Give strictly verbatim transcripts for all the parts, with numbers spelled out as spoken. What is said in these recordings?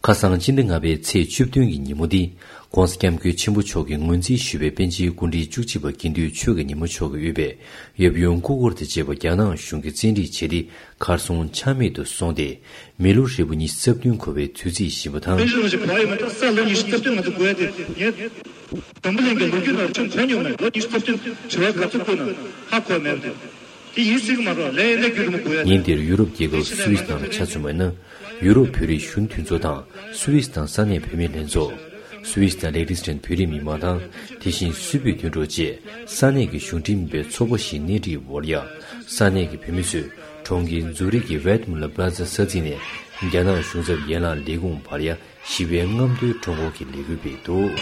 ཁ་སང་ཕྱི་ཟླ་ལྔ་པའི་ཚེས་བཅུ་བདུན་གྱི་ཉིན་མོ་འདི། ༸གོང་ས་༸སྐྱབས་མགོན་ཆེན་པོ་མཆོག་གིས་ངོས་འཛིན་ཞུས་པའི་པཎ་ཆེན་སྐུ་ཕྲེང་བཅུ་གཅིག་པ་དགེ་འདུན་ཆོས་ཀྱི་ཉིན་མོ་མཆོག་གིས་དབུས་པའི་ཡབ་ཡུམ་སྐུ་འཁོར་དང་བཅས་པ་རྒྱ་ནག་གཞུང་གིས་བཙན་ཁྲིད་བྱས་ཏེ། གར་སོང་ཆ་མེད་དུ་སོང་སྟེ། མི་ལོ་རེ་བ་ཉི་ཤུ་རྩ་བདུན་འཁོར་བའི་དུས་ཚིགས་ཕྱིན་པ་དང་། པཎ་ཆེན་རིན་པོ་ཆེ་བར་ཡོད་མ་ཐག་ས་ལོ་ཉི་ཤུ་རྩ་བདུན་ང་ཚོ་འགོར་ཡ་དེ་ངས། འཛམ་བུ་གླིང་གི་ལོ་རྒྱུས་ནང་ཁྱོན་གོ་མྱོང་མེད། ལོ་ཉི་ཤུ་རྩ་བདུན་དྲི་བ་ག་ཚོད་བཀོད་ན་ཧ་གོ་མེད་པ་དེ། དེ་ཡིན་སྲིད་ཀྱི་མ་རེད། ལས་ཡིན་ན་རྒྱུན་དུ་མ་གོ་ཡ། ཉིན་དེར་ཡུ་རོབ་རྒྱལ་ཁབ་སུད་སི་ནང་ལ་ཆ་མཚོན་པ་ཡིན་ན། ཡུ་རོབ་བོད་རིགས་གཞོན་དེ་ཚོ་དང་སུད་སི་དང་ས་གནས་བོད་མི་ལྷན་ཚོགས། སུད་སི་དང་ལི་ཁི་ཏེན་སི་ཊན་བོད་རིགས་མི་མང་དང་། དེ་བཞིན་སུད་བོད་མཐུན་གྲོགས་བཅས་ས་གནས་ཀྱི་གཞུང་འབྲེལ་མིན་པའི་ཚོགས་པ་བཞིའི་སྣེ་ཁྲིད་འོག་ལ་ཡ། ས་གནས་ཀྱི་བོད་མི་ཚོས་གྲོང་ཁྱེར་ཛུ་རིག་གི་ཝེད་མུ་ལར་པ་ལ་ཛ་ས་ཚིགས་ནས་རྒྱ་ནག་གཞུང་ཚབ་ཡན་ལག་ལས་ཁུངས་བར་ཡ། ཞི་བའི་རྔམ་སྟོན་ཁྲོམ་སྐོར་གྱི་ལས་འགུལ་སྤེལ་འདུག་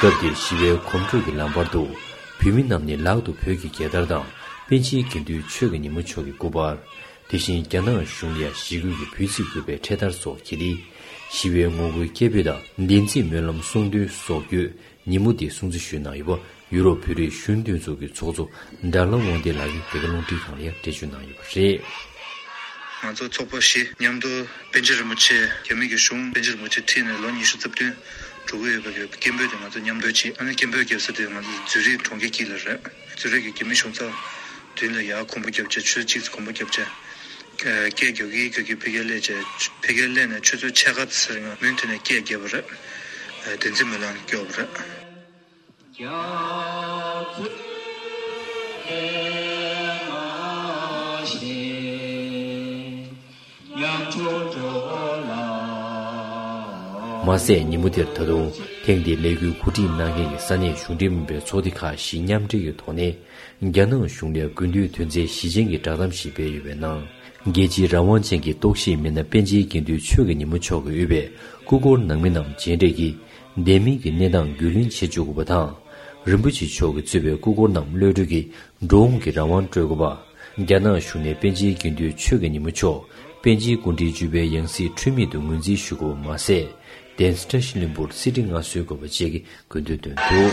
སྐབས་དེར་ཞི་བའི་གོམ་བགྲོད་ཀྱི་ལམ་བར་དུ། བོད་མི་རྣམས་ནས་ལག་ཏུ་བོད་ཀྱི་རྒྱལ་དར་དང་། པཎ་ཆེན་དགེ་འདུན་ཆོས་ཀྱི་ཉིན་མོ་མཆོག་གི་སྐུ་པར། དེ་བཞིན་རྒྱ་ནག་གཞུང་ལ་ཡ་ཞི་རྒོལ་གྱི་འབོད་ཚིག་འབོད་པའི་འཕྲེད་དར་སོགས་འཁྱེར་ཏེ། ཞི་བའི་ངོ་རྒོལ་སྐད་འབོད་དང་། བདེན་ཚིག་སྨོན་ལམ་གསུང་འདོན་སོགས་བརྒྱུད། ཉིན་མོ་འདི་སྲུང་བརྩི་ཞུས་གནང་ཡོད་པ། ཡུ་རོབ་བོད་རིགས་གཞོན་དེ་ཚོ་གི་ཚོགས་གཙོ་ཌ་ལ་དབང་ལྡན་ལགས་ཀྱིས་འདི་ག་རླུང་འཕྲིན་ཁང་ལ་ཡང་འགྲེལ་བརྗོད་གནང་ཡོད་པ་རེད། ང་ཚོ་ཚོགས་པ་བཞི་མཉམ་དུ་པཎ་ཆེན་རིན་པོ་ཆེ་རྒྱ་མི་གི་གཞུང་པཎ་ཆེན་རིན་པོ་ཆེ་ཁྲིད་ནས་ལོ་ཉི་ཤུ་རྩ་བདུན་འགྲོ་གི་ཡོད་པ་གི་སྐད་འབོད་དེ་ང་ཚོ་མཉམ་དུ་བྱས། ཨ་ནི་སྐད་འབོད་རྒྱབ་ས་དེ་ང་ཚོ་ཛུ་རིག་གྲོང་ཁྱེར་དཀྱིལ་ལ་རེད། ཛུ་རིག་གི་རྒྱ་མི་གཞུང་ཚབ་མདུན་ལ་ཡར་གོམ་པ་རྒྱབ་བྱས། ཆུ་ཚོད་གཅིག་ཙམ་གོམ་པ་རྒྱབ་བྱས། སྐད་རྒྱག་གི་རྒྱག་གི་ཕ་གིར་སླེབས་བྱས། ཕ་གིར་སླེབས་ནས་ཆུ་ཚོད་ཕྱེད་ཀ་ཙམ་ཟིན་མུན་མཐུད་ནས་སྐད་རྒྱབ་པ་རེད། བདེན་ཚིག་སྨོན་ལམ་སྐྱོར་བ་རེད། མ་ཟད་ཉིན་མོ་དེར་ད་དུང་ཐེངས་འདིའི་ལས་འགུལ་གོ་སྒྲིག་གནང་མཁན་གྱི་ས་གནས་གཞུང་འབྲེལ་མིན་པའི་ཚོགས་སྡེ་ཁག་བཞི་མཉམ་འབྲེལ་གྱི་ཐོག་ནས། རྒྱ་ནག་གཞུང་ལ་དགུན་དུས་དོན་ཚན་བཞི་ཅན་གྱི་བསྒྲགས་གཏམ་ཞིག་སྤེལ་ཡོད་པའི་ནང་། རྒྱལ་སྤྱིའི་རང་དབང་ཅན་གྱི་རྟོག་ཞིབ་མི་སྣ་པཎ་ཆེན་དགེ་འདུན་ཆོས་ཀྱི་ཉིན་མོ་མཆོག་གིས་དབུས་པའི་སྐུ་འཁོར་ནང་མི་རྣམས་མཇལ་འཕྲད་ཀྱིས་བདེན་མིན་གྱི་གནས་སྟངས་རྒྱུས་ལོན་བྱེད་བཅུག་དགོས་པ་དང་། རིན་པོ་ཆེ་མཆོག་གིས་གཙོས་པའི་སྐུ་འཁོར་རྣམས་གློད་གྲོལ་གྱིས་འགྲོ་འོང་གི་རང་དབང་སྤྲོད་དགོས་པ། རྒྱ་ནག་གཞུང་ནས་པཎ་ཆེན་དགེ་འདུན་ཆོས་ཀྱི་ཉིན་མོ་མཆོག་པཎ་ཆེན་སྐུ་ཕྲེང་བཅུ་པའི་ཡང་སྲིད་འཁྲུལ་མེད་དུ་ངོས་འཛིན་ཞུ་དགོས་པ་མ་ཟད། གདན་ས་བཀྲ་ཤིས་ལྷུན་པོར་གསེར་ཁྲི་མངའ་གསོལ་དགོས་པ་བཅས་ཀྱི་སྐུ་མདུན་བཏོན་འདུག་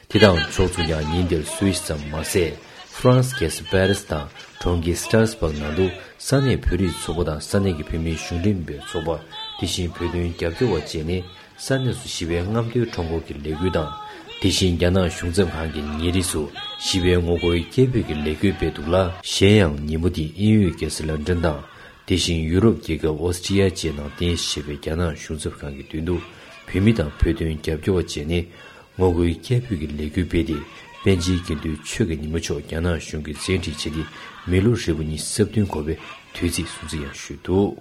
དེ་དང་ཕྱོགས་མཚུངས་ཀྱང་ཉིན་དེར་སུད་སི་ཙམ་མ་ཟད། ཧྥ་རན་སི་རྒྱལ་ས་པེ་རི་སི་དང་གྲོང་ཁྱེར་སི་ཏྲ་སི་སྦག་ནང་དུ་ས་གནས་བོད་རིགས་ཚོགས་པ་དང་ས་གནས་ཀྱི་བོད་མིའི་གཞུང་འབྲེལ་མིན་པའི་ཚོགས་པ། དེ་བཞིན་བོད་དོན་རྒྱབ་སྐྱོར་བ་བཅས་ནས་ས་གནས་སུ་ཞི་བའི་རྔམ་སྟོན་ཁྲོམ་སྐོར་གྱི་ལས་འགུལ་དང་། དེ་བཞིན་རྒྱ་ནག་གཞུང་ཚབ་ཁང་གི་ཉེ་རིས་སུ་ཞི་བའི་ངོ་རྒོལ་སྐད་འབོད་ཀྱི་ལས་འགུལ་སྤེལ་འདུག་ལ། གཞན་ཡང་ཉིན་མོ་འདི་དབྱིན་ཡུལ་རྒྱལ་ས་ལན་ཀྲན་དང་། དེ་བཞིན་ཡུ་རོབ་རྒྱལ་ཁབ་ཨོ་སི་ཀྲི་ཡ་བཅས་ནང་རྟེན་གཞི་བྱས་པའི་རྒྱ་ནག་གཞུང་ཚབ་ཁང་གི་མདུན་དུ་བོད་མི་དང་བོད་དོན་རྒྱབ་སྐྱོར་བ་བཅས་ནས་ངོ་རྒོལ་སྐད་འབོད་ཀྱི་ལས་འགུལ་སྤེལ་ཏེ། པཎ་ཆེན་དགེ་འདུན་ཆོས་ཀྱི་ཉིན་མོ་མཆོག་རྒྱ་ནག་གཞུང་གིས་བཙན་ཁྲིད་བྱས་ཏེ་མི་ལོ་རེ་བ་ཉི་ཤུ་རྩ་བདུན་འཁོར་བའི་དུས་ཚིགས་སྲུང་བརྩི་ཡང་ཞུས་འདུག